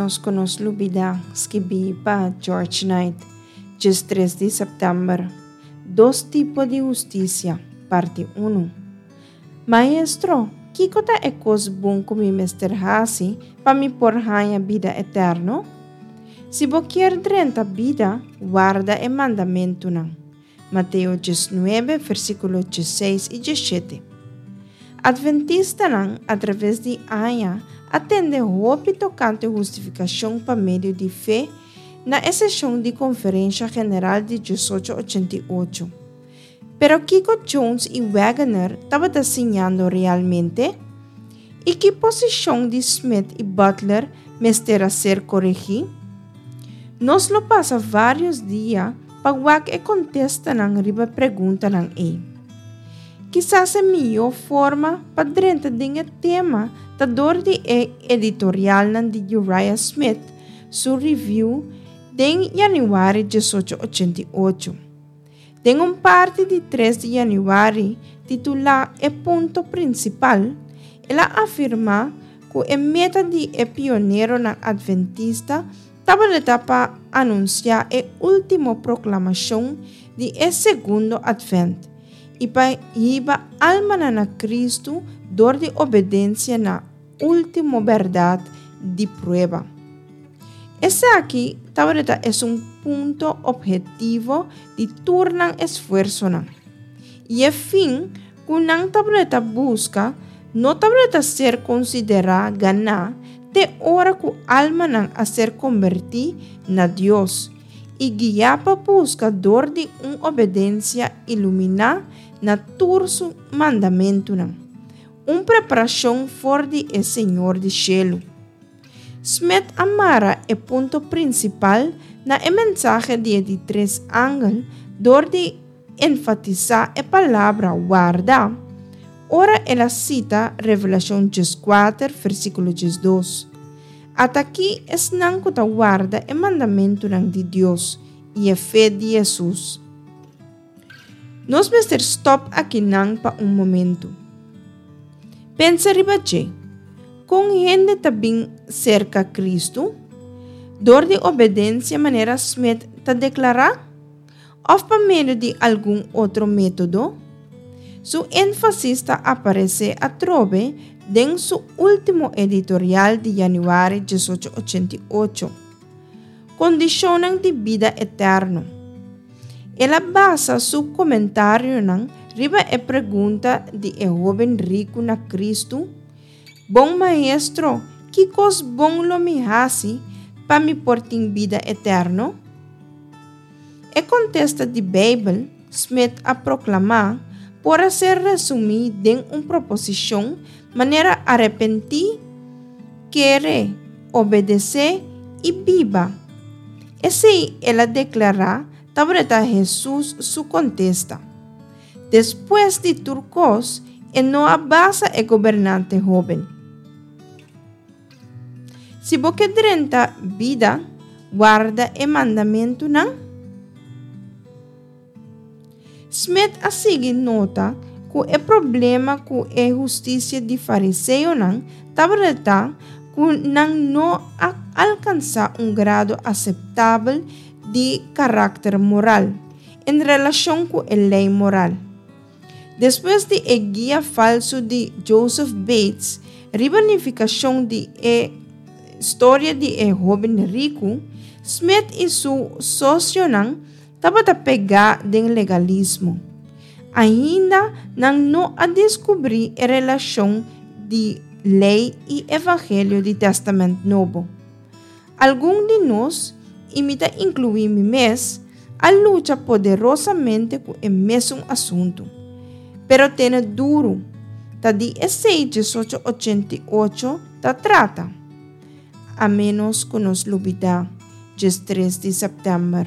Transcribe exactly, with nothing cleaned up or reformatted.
Ménos ku nos lubidá, skibí pa George Knight, diestres di sèptèmber. Dos tipo di hustisia, parti un. Maestro, kiko ta e kos bon ku mi mester hasi pa mi por haña bida eterno? Si bo kier drenta bida, warda e mandamentunan. Mateo diesnuebe, versíkulo diesseis i diesshete. Adventistanan atraves di aña a tende hopi tokante hustifikashon pa medio di fe na e seshon di konferensha general di diesocho ochenta i ocho. Pero kiko Jones i Waggoner tabata siñando realmente? I ki posishon di Smith i Butler mester a ser koregí? Nos lo pasa vários dia pa wak e kontestanan riba e preguntanan ei. Kisas e mihó forma pa drenta den e tema ta dor di e editorialnan di Uriah Smith su Review den yanüari diesocho ochenta i ocho. Den un parti di tres di yanüari titulá E Punto Prinsipal, el a afirmá ku e meta di e pioneronan adventista tabata pa anunsiá e último proklamashon di e segundo Advent i pa hiba almanan na Kristu dor di obedensia na último bèrdat di prueba. Esaki tabata esun punto ophetivo di tur nan esfuersonan. I e fin ku nan tabata buska no tabata ser konsiderá ganá te ora ku almanan a ser kombertí na Dios i guiá pa buska dor di un obedensia iluminá na tur su mandamentunan, un preparashon for di e Señor di shelu. Smith a mara e punto prinsipal na e mensahe di e di tres angel dor di enfatisá e palabra warda ora el a sita Revelashon dieskuater, versíkulo diesdos. At'akí esnan ku ta warda e mandamentunan di Dios i e fe di Hesus. Nos mester stòp akinan pa un momentu. Pensa riba dje. Kon hende ta bin serka Kristu? Dor di obedensia manera Smith ta deklará? Òf pa medio di algun otro método? Su énfasis ta aparesé atrobe den su último editorial di yanüari diesocho ochenta i ocho, Kondishonnan di Bida Eterno. El a basa su komentarionan riba e pregunta di e hóben riku na Kristu, Bon Maestro, ki kos bon lo mi hasi pa mi por tin bida eterno? E kontesta di Beibel, Smith a proklamá, por a ser resumí den un proposishon manera arepentí, kere, obedesé i biba. Esei, el a deklará, tabata Hesus su kontesta. Despues di tur kos, e no a basa e gobernante hóben. Si bo ke drenta bida, warda e mandamentunan. Smith a sigui nota ku e problema ku e hustisia di fariseonan tabata ta ku nan no a alkansá un grado aseptabel di karakter moral en relashon ku e lei moral. Despues di e guia falsu di Joseph Bates riba nifikashon di e storia di e hóben riku, Smith i su sosionan tabata pegá den legalismo. Ainda nan no a deskubrí e relashon di lei i evangelio di Tèstamènt Nobo. Algun di nos, i mi ta inkluí mi mes, a lucha poderosamente ku e mesun asuntu. Pero tene duru, ta di esei diesocho ochenta i ocho ta trata. A ménos ku nos lubidá, diestres di sèptèmber.